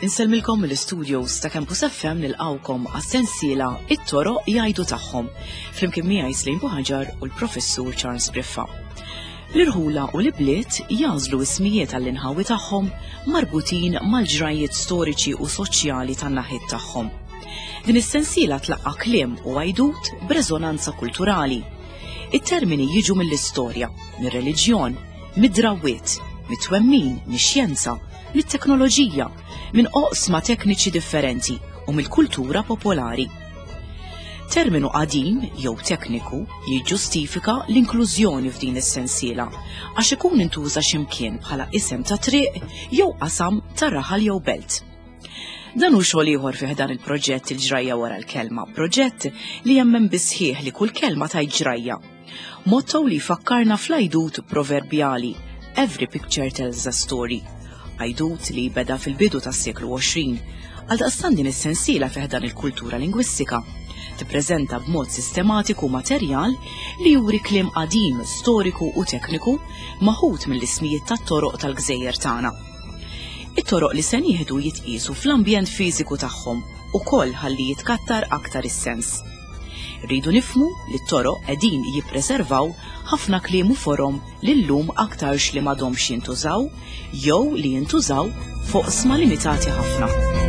Insellmilkom mill-studios ta' Campus FM nilqawkom għas-sensiela It-toroq jgħidu tagħhom flimkien miegħi Slim Buħaġar u l-Professur Charles Briffa. L-irħula u l-ibliet jagħżlu ismijiet għall-inħawi tagħhom marbutin mal-ġrajjiet storiċi u soċjali tan-naħiet tagħhom. Din is-sensiela tlaqqa' kliem u għajdut b'reżonanza kulturali. It-termini jiġu mill-istorja, mir-reliġjon, mid-drawwiet, mit-twemmin, mix-xjenza, mit-teknoloġija, minn oqsma tekniċi differenti u mill-kultura popolari. Terminu qadim jew tekniku jiġġustifika l-inklużjoni f'din is-sensiela għax ikun intuża x'imkien bħala isem ta' triq jew qasam ta' raħal jew belt. Dan hu xogħol ieħor fih dan il-proġett il-ġrajja wara l-kelma, proġett li jemmen bisħieħ li kull kelma tgħid ġrajja. Motto li jfakkarna fl-għajdut proverbjali Every picture tells a story. Għajdut li beda fil-bidu tas-seklu 20. Għaldaqstant din is-sensiela fih dan il-kultura lingwistika tippreżenta b'mod sistematiku materjal li juri kliem qadim, storiku u tekniku maħud mill-ismijiet tat-toroq tal-gżejjer tagħna. It-toroq li se nieħdu jitqiesu fl-ambjent fiżiku tagħhom ukoll ħalli jitkattar aktar is-sens. Rridu nifhmu li t-toroq qegħdin jippreservaw ħafna kliem u forom li llum aktarx li m'għadhomx jintużaw jew li jintużaw f'oqsma limitati ħafna.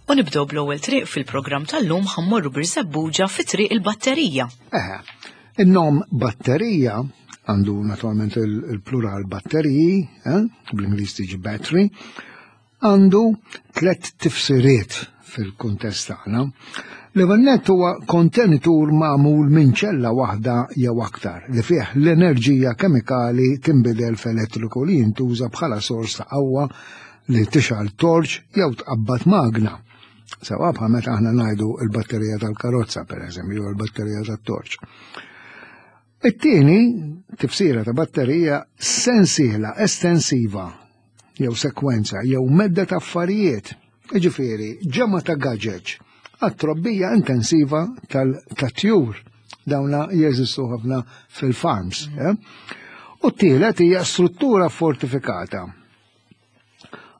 U nibdew bl-ewwel triq fil-programm tal-lum ħammorru Birżebbuġa fi triq il-batterija. Eħe, in-nom batterija għandu naturalment il-plural batteriji, eh, bl-Ingliż tiġi battery, għandu tlet tifsiriet fil-kuntest tagħna. L-ewwel nett huwa kontenitur magħmul minn ċella waħda jew aktar li fih l-enerġija kemikali tinbidel f'elettriku li jintuża bħala sors ta' qawwa li tixgħal torċ jew tqabbad magna. Sewa bħal meta aħna ngħidu l-batterija tal-karozza pereżempju jew l-batterija tat-torċ. It-tieni tifsira ta' batterija sensiela estensiva jew sekwenza jew medda ta' affarijiet, jiġifieri ġemgħa ta' gaġeġ għat-trobbija intensiva tal-tjur. Dawna jeżistu ħafna fil-farms. Mm. Eh? U t-tielet hija struttura fortifikata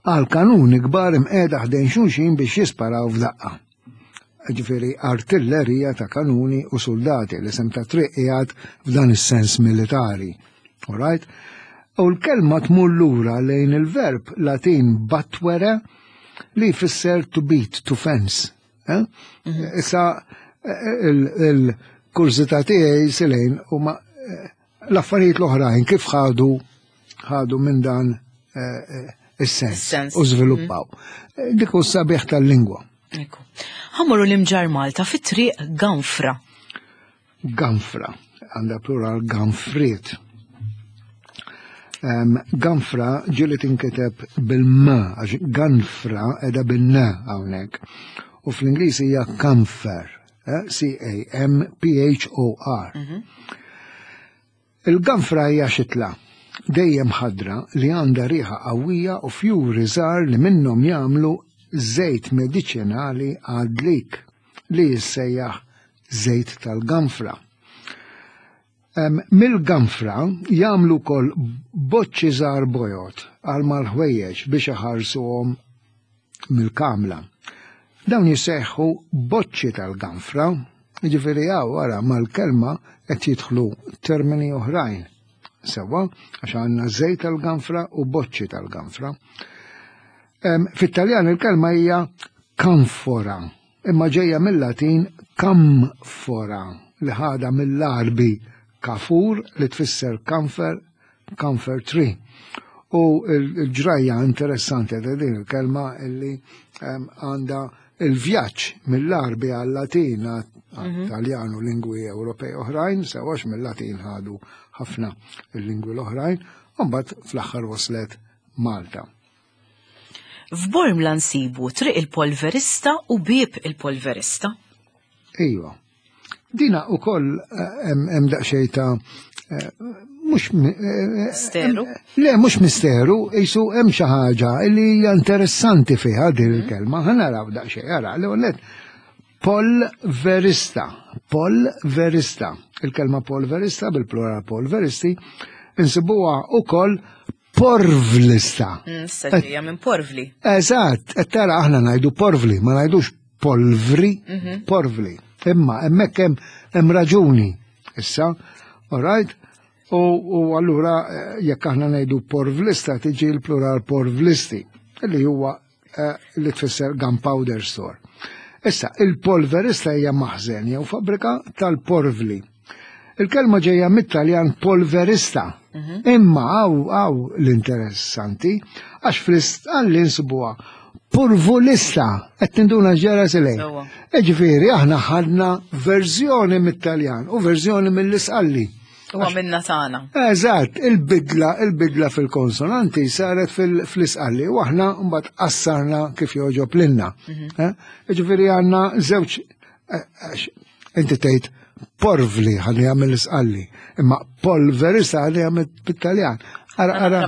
għal kanuni kbar imqiegħda ħdejn xulxin biex jisparaw f'daqqa. Ġifieri artillerija ta' kanuni u soldati li sem ta' triq qiegħed f'dan is-sens militari. Alright? U l-kelma tmur lura lejn il-verb Latin batwere li jfisser to beat, to fence. Eh? Mhm. Issa eh, il-kurżità tiegħi silejn huma eh, L-affarijiet l-oħrajn kif ħadu ħadu minn dan eh, eh, is-sens u żviluppaw. Mm. Eh, dik hu sabiħ tal-lingwa. Ekku. Ħammorru l-imġar Malta fit-triq Ganfra. Ganfra, għandha plural ganfriet. Um, ganfra ġili tinkiteb bil-m, għax ganfra edha bil-n hawnhekk. U fl-Ingliż hija camphor. Eh, C-A-M-P-H-O-R. Mhm. Il-ganfra hija xitla dejjem ħadra li għandha riħa qawwija u fjuri żgħar li minnhom jagħmlu żejt mediċinali għad-dlik li jissejjaħ żejt tal-ganfra. Mill-ganfra jagħmlu wkoll boċċi żgħar bojod għal mal-ħwejjeġ biex iħarsuhom mill-kamla. Dawn jissejħu boċċi tal-ganfra, jiġifieri hawn wara mal-kelma qed jidħlu termini oħrajn. Sewwa, għax għandna żejt tal-ganfra u boċċi tal-ganfra. Fit-Taljan il-kelma hija kanfora, imma ġejja mill-Latin camphora li ħadha mill-Għarbi kafur li tfisser kamfer camphor tree. U l-ġrajja interessanti ta' din il-kelma illi ehm, għandha il-vjaġġ mill-Għarbi għal-Latin mhm. Taljan u lingwi Ewropej oħrajn, sewax mill-Latin ħadu ħafna il-lingwi l-oħrajn, u mbagħad fl-aħħar waslet Malta. F'Bormla nsibu Triq il-Polverista u Bieb il-Polverista. Iva. Dina u koll eh, hemm daqsxejn ta' eh, mhux eh, misteru. Le, mhux misteru, jisu hemm xi ħaġa li hija interessanti fiha din mhm. il-kelma. Ħa naraw daqsxejn, ara, l-ewwel polverista, polverista. Il-kelma polverista bil-plural polveristi insibuha ukoll porvlista. Mm, Issa minn porvli. Eżatt, qed tara aħna ngħidu porvli, ma ngħidux polvri, mhm. porvli. Imma hemmhekk hemm raġuni. Issa, all right? U, u allura eh, jekk aħna ngħidu porvlista tiġi l-plural porvlisti, li huwa eh, li tfisser gunpowder store. Issa, il-polverista hija maħżen jew fabbrika tal-porvli. Il-kelma ġejja mit-Taljan polverista. Mhm. Imma għaw għaw l-interessanti, għax fl-istqalli nsibuha purvulista, qed tinduna ġera silej. Ġifieri aħna ħadna verżjoni mit-Taljan u verżjoni mill-isqalli. U għamilna tagħna. Eżatt, il-bidla, il-bidla fil-konsonanti saret fl-isqalli u aħna mbagħad qassarna kif joġob lilna. Mhm. Eh? Ġifieri għandna żewġ eh, inti tgħid porvli ħalli jagħmel l-isqalli, imma polverista ħalli jagħmel bit-Taljan. Ara, ara.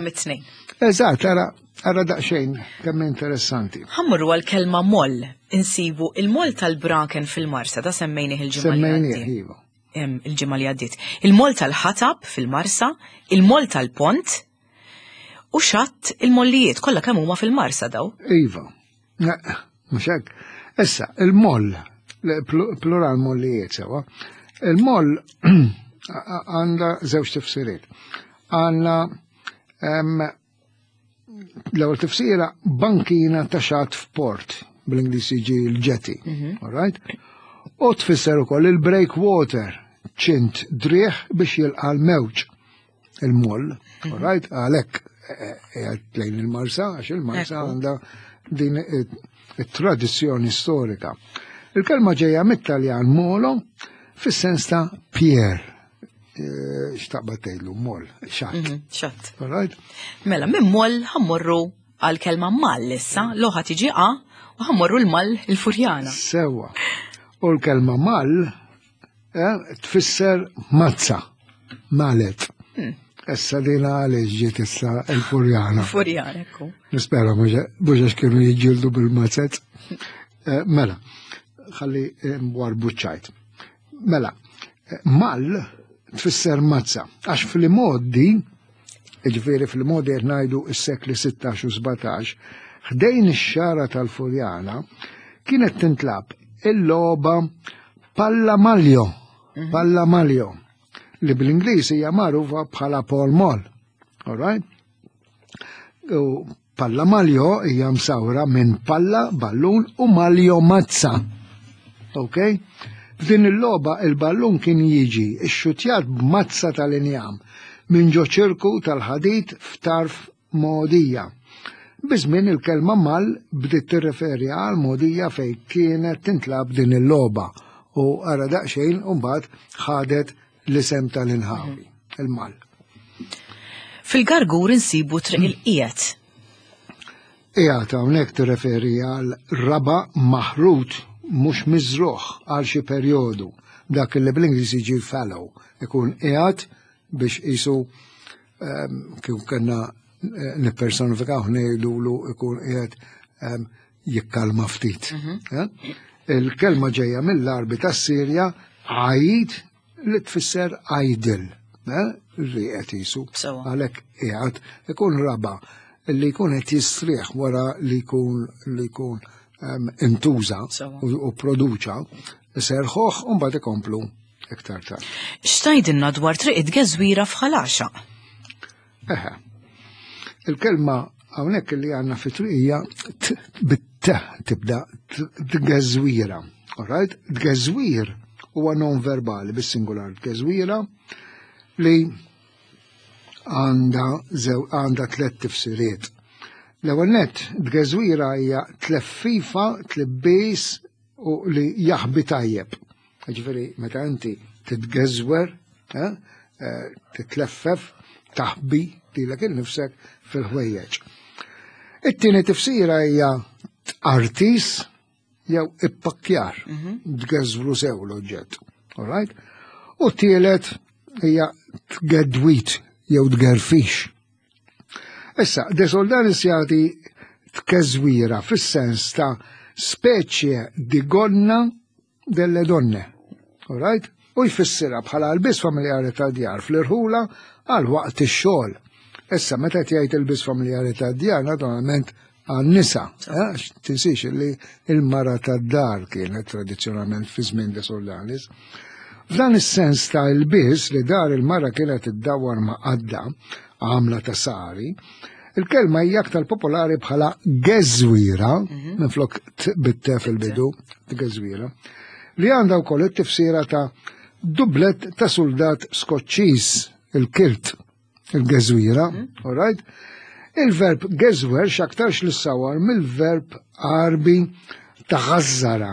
Eżatt, ara, ara daqsxejn kemm interessanti. Ħammurru għal-kelma moll, insibu il-moll tal-braken fil-Marsa, da semmejnih il-ġimgħa. Semmejnih, iva. Il-ġimgħa li għaddiet. Il-moll tal-ħatab fil-Marsa, il-moll tal-pont u xatt il-mollijiet kollha kemm huma fil-Marsa daw. Iva. Mhux hekk. Issa, il-moll, plural mollijiet sewa, il-moll għandha żewġ tifsiriet. Għandna l-ewwel tifsira bankina ta' xatt f'port, bl-Ingliż jiġi l-jetty, mhm. all right? U tfisser ukoll il-breakwater, ċint driħ biex jilqa' l-mewġ il-moll, mhm. all right? Għalhekk eh, eh, lejn il-Marsa, għax il-Marsa għandha din it-tradizzjoni storika. Il-kelma ġejja mit-Taljan molo fis-sens ta' pier, Eh, xtaqba tgħidlu moll, xatt. Mhm, xatt. Right? Mela, minn moll ħammorru għal kelma mal issa, loħa tiġi a, u ħammorru l-mal il-furjana. Sewa. U l-kelma mal eh, tfisser mazza, malet. Hmm. Issa dina għaliex ġiet issa il-furjana. Furjana, ekku. Nispera mhux għax kienu jiġġieldu bil-mazzet. Eh, mela, ħalli warbu ċajt. Mela, mal tfisser mazza, għax fil-modi, ġifieri fil-modi qed ngħidu s-sekli 16 u 17, ħdejn ix-xara tal-Furjana kienet tintlab il-logħba palla maljo, mhm. palla maljo, li bl-Ingliż hija magħrufa bħala Paul Mall. All right? U Palla maljo hija msawra minn palla, ballun u maljo mazza. Ok? F'din il-logħba il-ballun kien jiġi xxutjat b'mazza tal-injam minn ġo ċirku tal-ħadid f'tarf mogħdija. Biż-żmien il-kelma mal bdiet tirreferi għal mogħdija fejn kienet tintlagħab din il-logħba u ara daqsxejn u mbagħad ħadet l-isem tal-inħawi, il-mal. Fil-Gargur insibu triq il-qiegħed. Qiegħed hawnhekk tirreferi għal raba maħrut mhux miżruħ għal xi perjodu. Dak li bl-Ingliż jiġi fallow, ikun qiegħed biex qisu ehm, kif kellna eh, nippersonifikaw ngħidulu ikun qiegħed ehm, jikkalma ftit. Mhm. Eh? Il-kelma ġejja mill-Arbi tas-Sirja għajid li tfisser idle, eh? rieqed jisu. Għalhekk qiegħed ikun raba li jkun qed jistrieħ wara li jkun li jkun ehm, intuża u produċa, serħoħ u mbagħad ikomplu iktar tard. X'tgħidilna dwar triq it-tgeżwira f'Ħal Għaxaq? Eħe. Il-kelma hawnhekk li għandna fi triqija bit-t tibda tgeżwira. Alright? Tgeżwir huwa non verbali bis-singular tgeżwira li għandha għandha tliet tifsiriet. L-ewwel nett, tgeżwira hija tleffifa, tlibbis u li jaħbi tajjeb. Ġifieri meta inti titgeżwer, eh, eh, titleffef, taħbi lilek innifsek fil-ħwejjeġ. It-tieni tifsira hija tqartis jew ippakkjar, mhm. tgeżwru sew l-oġġett. All right? U t-tielet hija tgedwit jew tgerfix. Issa, De Soldanis jagħti tkeżwira fis-sens ta' speċje di gonna delle donne. All right? U jfissirha bħala l-biss familjari ta' djar fl-irħula għal waqt ix-xogħol. Issa meta qed jgħid il-biss familjari ta' djar naturalment għan-nisa, eh, tinsiex li il-mara tad-dar kienet tradizzjonalment fi żmien De Soldanis. F'dan is-sens ta' il-biss li dar il-mara kienet iddawwar ma' qadda għamla ta' sari, il-kelma hija aktar popolari bħala geżwira, mhm. minflok bit-te fil-bidu, geżwira, li għandha wkoll it-tifsira ta' dublet ta' soldat Skoċċiż, il-kilt, il-geżwira, mhm. all right? Il-verb geżwer x'aktarx li sawar mill-verb Għarbi taħażżara.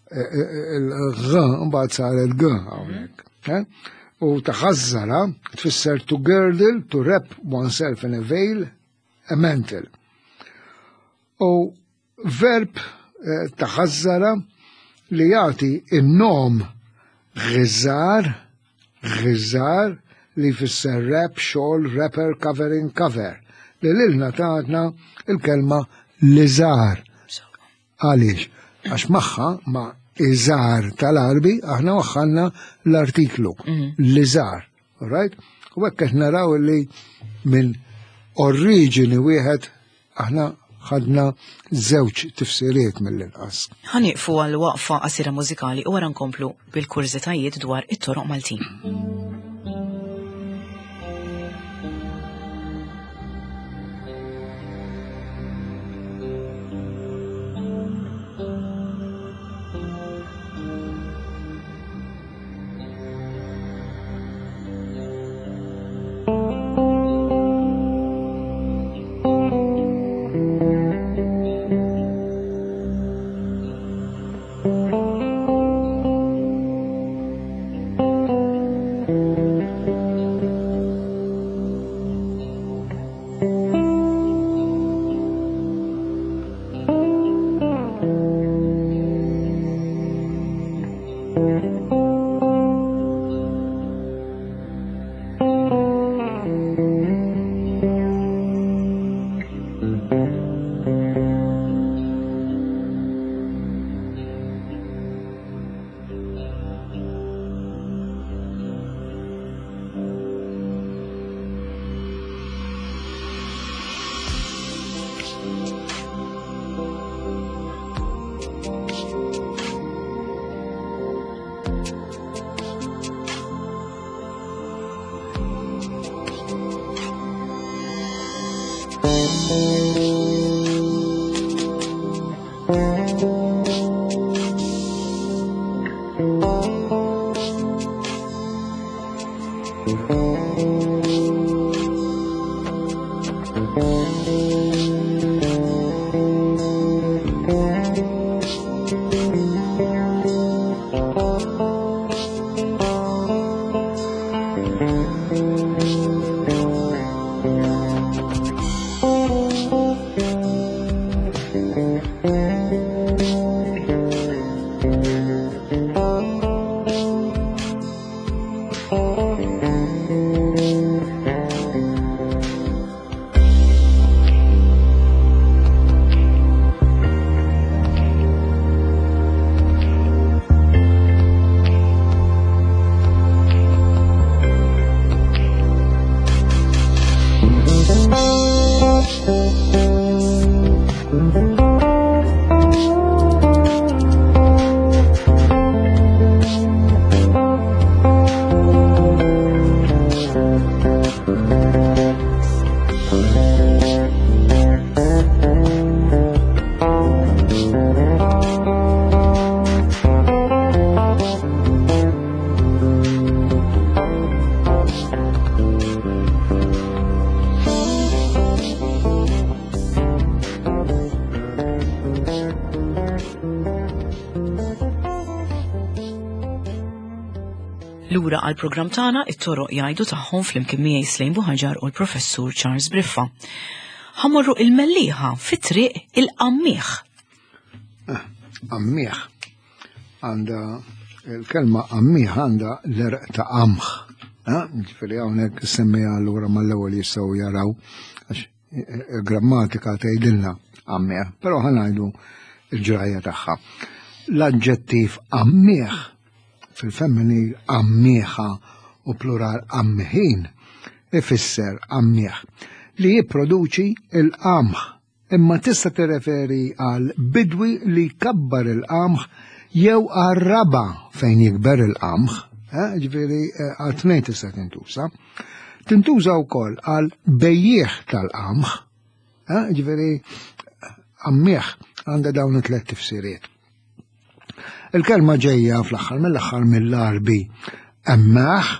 E, e, e, il-g mbagħad saret g hawnhekk. Mhm. U taħażżara tfisser to girdle, to wrap oneself in a veil, a mantle. U Verb eh, taħażżara li jagħti in-nom ghiżar, ghiżar li jfisser rap, xogħol, rapper, covering, cover. Li lilna tatna il-kelma liżar. Għaliex? Għax magħha ma' iżar tal-Arbi aħna waħħalna l-artiklu mhm. liżar. Right? U hekk qed naraw li minn oriġini wieħed aħna ħadna żewġ tifsiriet mill-inqas. Ħanieqfu għal waqfa qasira mużikali u wara nkomplu bil-kurżitajiet dwar it-toroq Maltin. Lura għal programm tagħna it-toroq jgħidu tagħhom flimkien miegħi Slejn Buħaġar u l-Professur Charles Briffa. Ħamorru il-Mellieħa fi triq il-Qammieħ. Ah, Qammieħ għandha il-kelma qammieħ għandha l-erq ta' qamħ. Ah, ġifieri hawnhekk semmejha allura mal-ewwel jistgħu jaraw għax il-grammatika tgħidilna qammieħ, però ħanajdu l-ġrajja tagħha. L-aġġettiv qammieħ fil-femminil qammieħa u plural qammiħin ifisser qammieħ li jipproduċi il-qamħ imma tista' tirreferi għal bidwi li jkabbar il-qamħ jew għal raba fejn jikber il-qamħ, eh, ġifieri eh, għal tnejn tista' tintuża. Tintuża wkoll għal bejjiegħ tal-qamħ, eh, ġifieri qammieħ għandha dawn it-tliet tifsiriet. Il-kelma ġejja fl-aħħar mill-aħħar mill-Għarbi emmaħ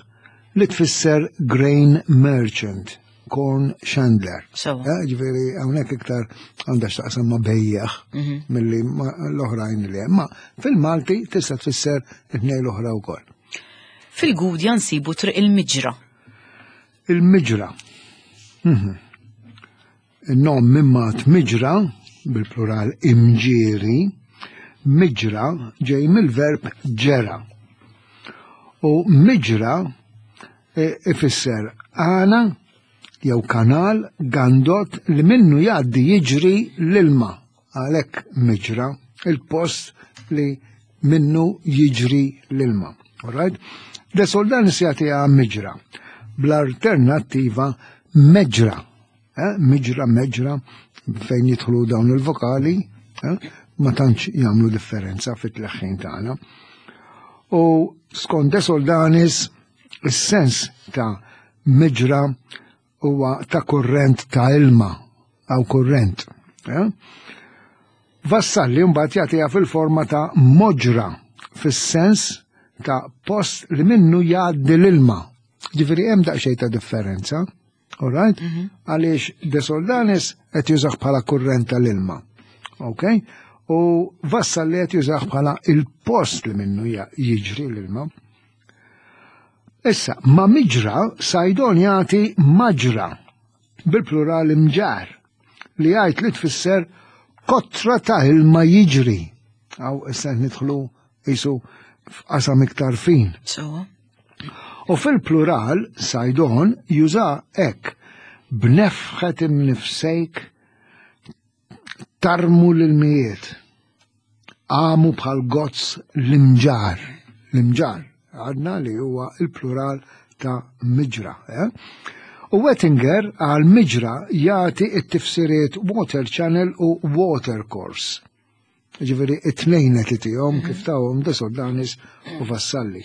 li tfisser grain merchant, corn chandler. Eh, ġifieri hawnhekk iktar għandha x'taqsam ma' bejjeħ mhm. milli l-oħrajn li hemm. Ma fil-Malti tista' tfisser it-tnejn l-oħra wkoll. Fil-Gudja nsibu triq il-Miġra. Il-Miġra. Mhm. In-nom mimmat miġra, bil-plural imġieri, miġra ġej mill-verb ġera. U miġra e, ifisser għana jew kanal gandot li minnu jgħaddi jiġri l-ilma. Għalhekk miġra, il-post li minnu jiġri l-ilma. Alright? De Soldanis jagħtiha miġra bl-alternattiva meġra. Eh, miġra, meġra, fejn jidħlu dawn il-vokali, eh, ma tantx jagħmlu differenza fit-tleħħin tagħna. U skont De Soldanis, is-sens ta' miġra huwa ta' kurrent ta' ilma, għaw kurrent. Eh? Vassalli mbagħad jagħtiha fil-forma ta' moġra, fis-sens ta' post li minnu jgħaddi l-ilma. Ġifieri hemm daqsxejn ta' differenza. All right? Mhm. Għaliex De Soldanis qed jużah bħala kurrent tal-ilma. Ok? U Vassalli qed jużah bħala il-post li minnu jiġri l-ilma. Issa, ma miġra, Sajdon jagħti maġra bil-plural imġar li jgħid li tfisser kotra ta' ilma jiġri. Għaw issa nidħlu jisu f'qasam iktar fin. So. U fil-plural, Sajdon juża hekk, b'nefħet imnifsejk tarmu l-ilmijiet, għamu bħal gozz l-imġar, l-imġar, għadna li huwa il-plural ta' miġra. Eh? U Wettinger għal miġra jagħti it-tifsiriet water channel u water course. Ġifieri it-tnejn qed itihom kif tawhom De Soldanis u Vassalli.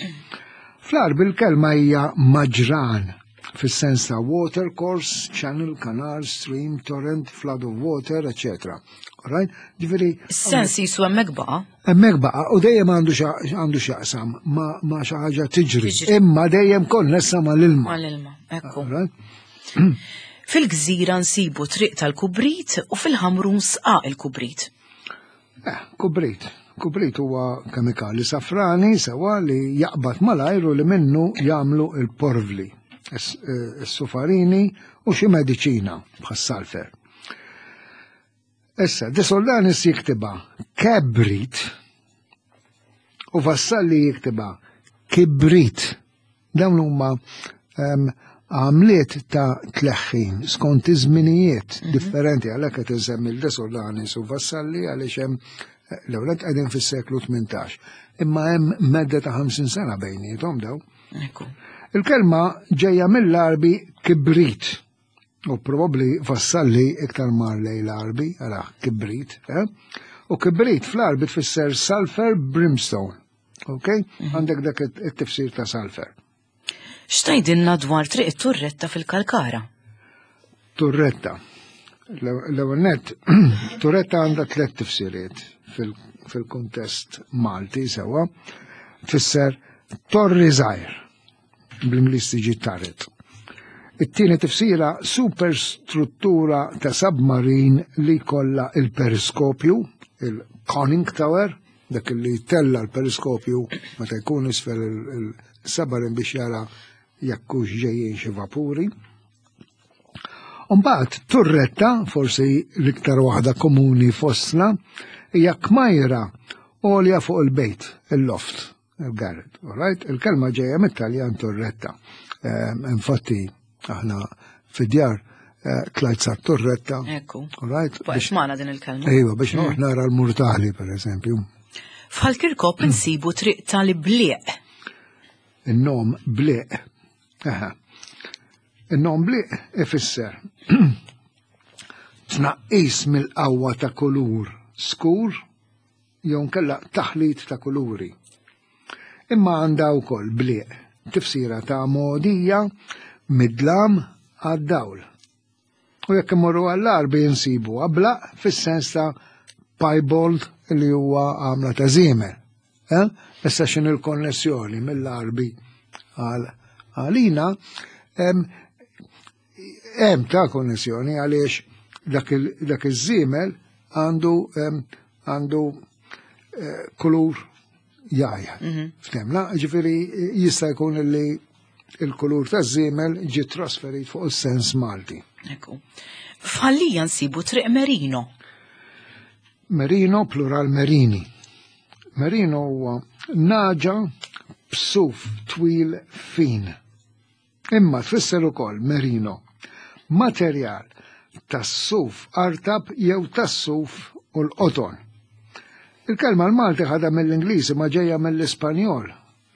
Fl-Għarbi l-kelma hija maġran fis-sens ta' water course, channel, canal, stream, torrent, flood of water, etc. Right? Ġifieri. Is-sens jisu hemmhekk baqa'. Hemmhekk baqa' u dejjem għandu għandu x'jaqsam ma' xi ħaġa tiġri, imma dejjem konnessa mal-ilma. Mal-ilma, ekku. Fil-gżira nsibu triq tal-kubrit u fil-Ħamrun sqaq il-kubrit. Eh, kubrit. Kubrit huwa kemikali safrani sewa li jaqbad malajr u li minnu jagħmlu il-porvli, is-sufarini u xi mediċina bħas-salfer. Issa, De Soldanis jiktiba kebrit u Vassalli jiktiba kibrit. Dawn huma ehm, għamliet ta' tleħħin skont iż-żminijiet mhm. differenti għalhekk qed insemmi l-De Solanis u Vassalli għaliex hemm eh, l-ewwel qegħdin fis-seklu 18. Imma hemm medda ta' 50 sena bejniethom daw. Il-kelma ġejja mill-Arbi kibrit u probabbli Vassalli iktar mar lej l-Arbi, għala kibrit, eh? U kibrit fl-Arbi tfisser sulfur brimstone. Ok? Mhm. Għandek dak it-tifsir ta' sulfur. X'tgħidilna dwar triq it-Turretta fil-Kalkara? Turretta. L-ewwel nett, turretta għandha tliet tifsiriet fil-kuntest Malti sewwa. Tfisser torri żgħir bl-Ingliż tiġi turret. It-tieni tifsira superstruttura ta' submarin li jkollha il-periskopju, il-conning tower, dak li tella l-periskopju meta jkun isfel il-submarin biex jara jekk hux ġejjin xi vapuri. Umbagħad turretta, forsi l-iktar waħda komuni fostna, hija kmajra għolja fuq il-bejt, il-loft, il-garret. Alright? Il-kelma ġejja mit-Taljan turretta. Ehm, infatti, aħna fid-djar eh, tlajt sa turretta. Ekku. Alright? Biex magħna din il-kelma. Ejwa, biex noqgħod mm. nara l-murtali, per eżempju. F'Ħal Kirkop insibu triq tal-Bliq. In-nom Bliq. Aha. In-nom bliq ifisser tnaqqis mill-qawwa ta' kulur skur jew nkella taħlit ta' kuluri. Imma għandha wkoll bliq tifsira ta' mogħdija mid-dlam għad-dawl. U jekk imorru għall-Għarbi nsibu ablaq fis-sens ta' piebald li huwa għamla ta' żiemel. Eh? Issa x'in il-konnessjoni mill-Għarbi għal għalina hemm ta' konnessjoni għaliex dak iż-żiemel għandu għandu eh, kulur jajja. Mhm. Ftemna, ġifiri jista' jkun li il-kulur ta' żiemel ġi trasferit fuq is-sens Malti. Ekku. F'Ħallija nsibu Triq Merino. Merino plural Merini. Merino huwa naġa b'suf twil fin. Imma tfisser ukoll merino, materjal tas-suf artab jew tas-suf u l-qoton. Il-kelma l-Malti ħadha mill-Ingliż imma ġejja mill-Ispanjol.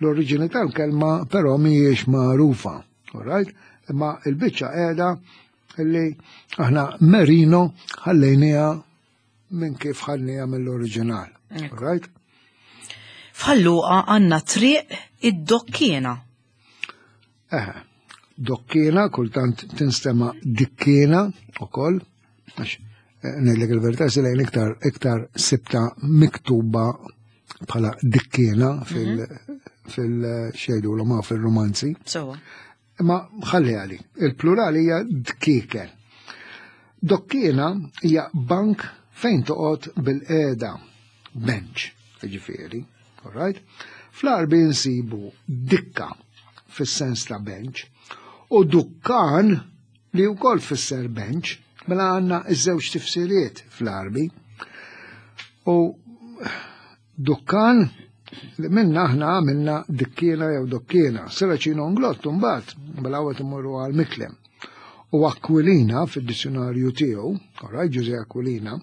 L-oriġini tal-kelma però mhijiex magħrufa. Alright? Imma il-biċċa qiegħda li aħna merino ħallejniha minn kif ħadniha mill-oriġinal. Right? F'Ħal-Luqa għandna triq id-Dokkiena. Eħe, dokkiena kultant tinstema dikkiena ukoll, għax eh, ngħidlek il-verità se lejn iktar iktar sibta miktuba bħala dikkiena fil mhm. fil-xejdu l ma fil-romanzi. Sewa. Imma ħalli għali, il-plural hija dkieken. Dokkiena hija bank fejn toqgħod bil-qiegħda, bench, ġifieri, all right? Fl-Għarbi nsibu dikka fis-sens ta' bench u dukkan li wkoll tfisser bench, mela għandna iż-żewġ tifsiriet fl-Għarbi. U Dukkan li minna aħna għamilna dikkiena jew dokkiena. Seraċino Nglott mbagħad mela għawet imorru għal Miklem. U Aquilina fid-dizzjonarju tiegħu, alright, Ġuże Aquilina,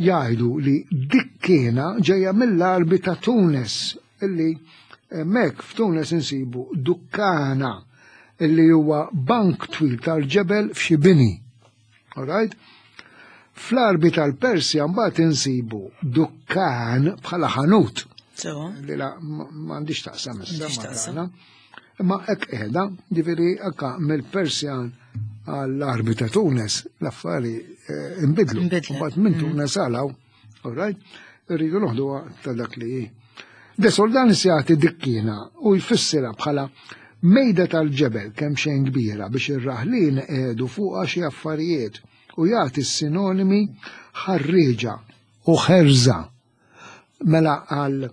jgħidu li dikkiena ġejja mill-Għarbi ta' Tunis illi hemmhekk f'Tunis insibu dukkana illi huwa bank twil tal-ġebel f'xi bini. Alright? Fl-Għarbi tal-Persja mbagħad insibu dukkan bħala ħanut. Li la m'għandix taqsam issa. Imma hekk qiegħda, ġifieri anka mill-Persjan għall-Għarbi ta' Tunes l-affari eh, inbidlu. Mbagħad minn mm. Tunes għalaw, alright? Irridu noħduha ta' dak li hi. De Soldanis jagħti dikkina u jfissirha bħala mejda tal-ġebel kemm xejn kbira biex ir-raħlin iqiegħdu fuqha xi affarijiet u jagħti s-sinonimi ħarrieġa u ħerża. Mela għal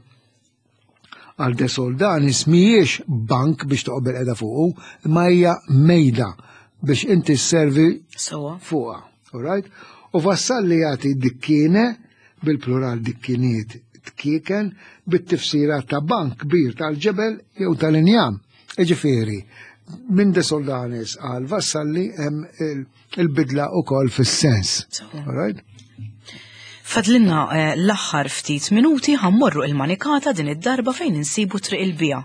għal De Soldanis mhijiex bank biex toqgħod bil-qeda fuqu, imma hija mejda biex inti sservi fuqha. All right? U Vassalli jagħti dikkiene bil-plural dikkiniet tkieken bit-tifsira ta' bank kbir tal-ġebel jew tal-injam. Iġifieri, minn De Soldanis għal Vassalli hemm il-bidla ukoll fis-sens. Right? Fadlinna eh, l-aħħar ftit minuti ħammorru il-manikata din id-darba fejn insibu triq il-bija.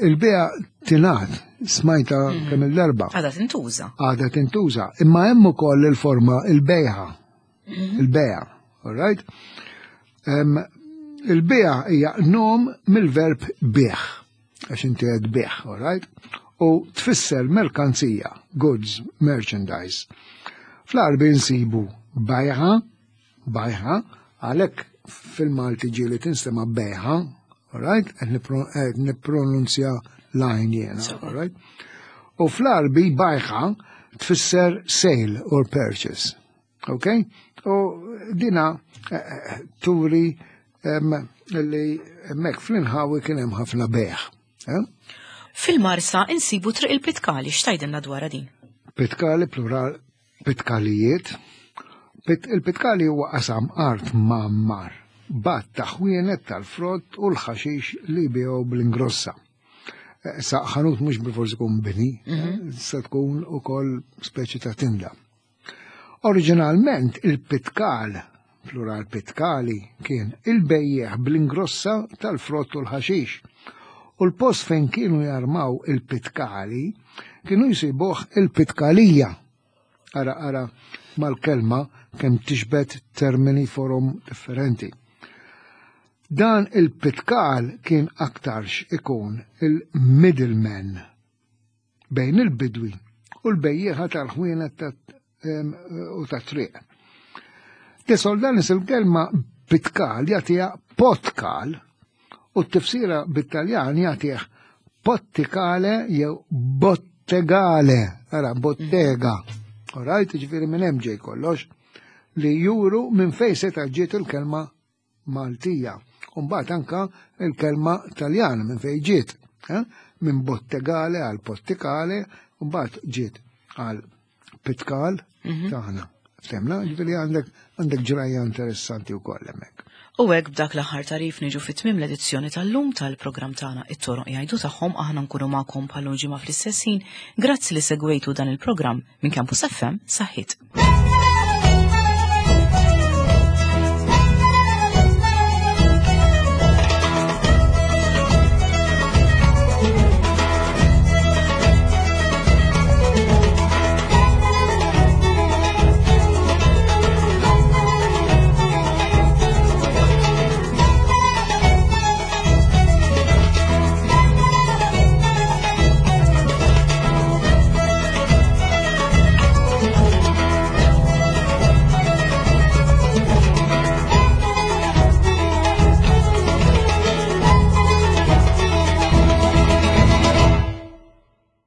Il-bija tingħad smajta mm. kemm il-darba. Għada tintuża. Għada tintuża, imma hemm ukoll il-forma il-bejħa. Mhm. Il-beja, all right? Il-beja hija nom mill-verb bieħ, għax inti qed bieħ, all right? U tfisser merkanzija, goods, merchandise. Fl-Għarbi nsibu bajħa, bajħa, għalhekk fil-Malti ġieli tinstema' bejħa, all right? Qed nippronunzja l-għajn jiena, all right? U fl-Għarbi bajħa tfisser sale or purchase. Ok? U dina eh, eh, turi li hemmhekk fl-inħawi kien hemm ħafna beħ. Eh? Fil-Marsa insibu triq il-Pitkali, x'tajdilna dwarha din? Pitkali plural Pitkalijiet. Il-pitkali huwa qasam art mgħammar b'għadd ta' ħwienet tal-frott u l-ħaxix li jbigħu bl-ingrossa. Eh, sa ħanut mhux bilfors ikun bini, mhm. se tkun ukoll speċi ta' tinda. Oriġinalment il-pitkal, plural pitkali, kien il-bejjeħ bl-ingrossa tal-frott u l-ħaxix. U l-post fejn kienu jarmaw il-pitkali kienu jsibuh il-pitkalija. Ara ara mal-kelma kemm tixbet termini forom differenti. Dan il-pitkal kien aktarx ikun il-middleman bejn il-bidwi u l-bejjieħa tal-ħwienet u tat-triq. De Soldanis il-kelma pitkal jagħtiha potkal u t-tifsira bit-Taljan jagħtih pottikale jew bottegale, ara bottega. Alright, ġifieri minn hemm ġej kollox li juru minn fejn seta' ġiet il-kelma Maltija. U mbagħad anka il-kelma Taljana minn fejn ġiet. Eh? Minn bottegale għal pottikale, u mbagħad ġiet għal pitkal mhm. tagħna. Ftemna, ġifieri għandek għandek ġrajja interessanti wkoll hemmhekk. U hekk b'dak l-aħħar tarif niġu fit-tmiem l-edizzjoni tal-lum tal-programm tagħna it-toroq jgħidu tagħhom aħna nkunu magħkom bħal ġimgħa fl-istess ħin. Grazzi li segwejtu dan il-programm minn Campus FM saħħit.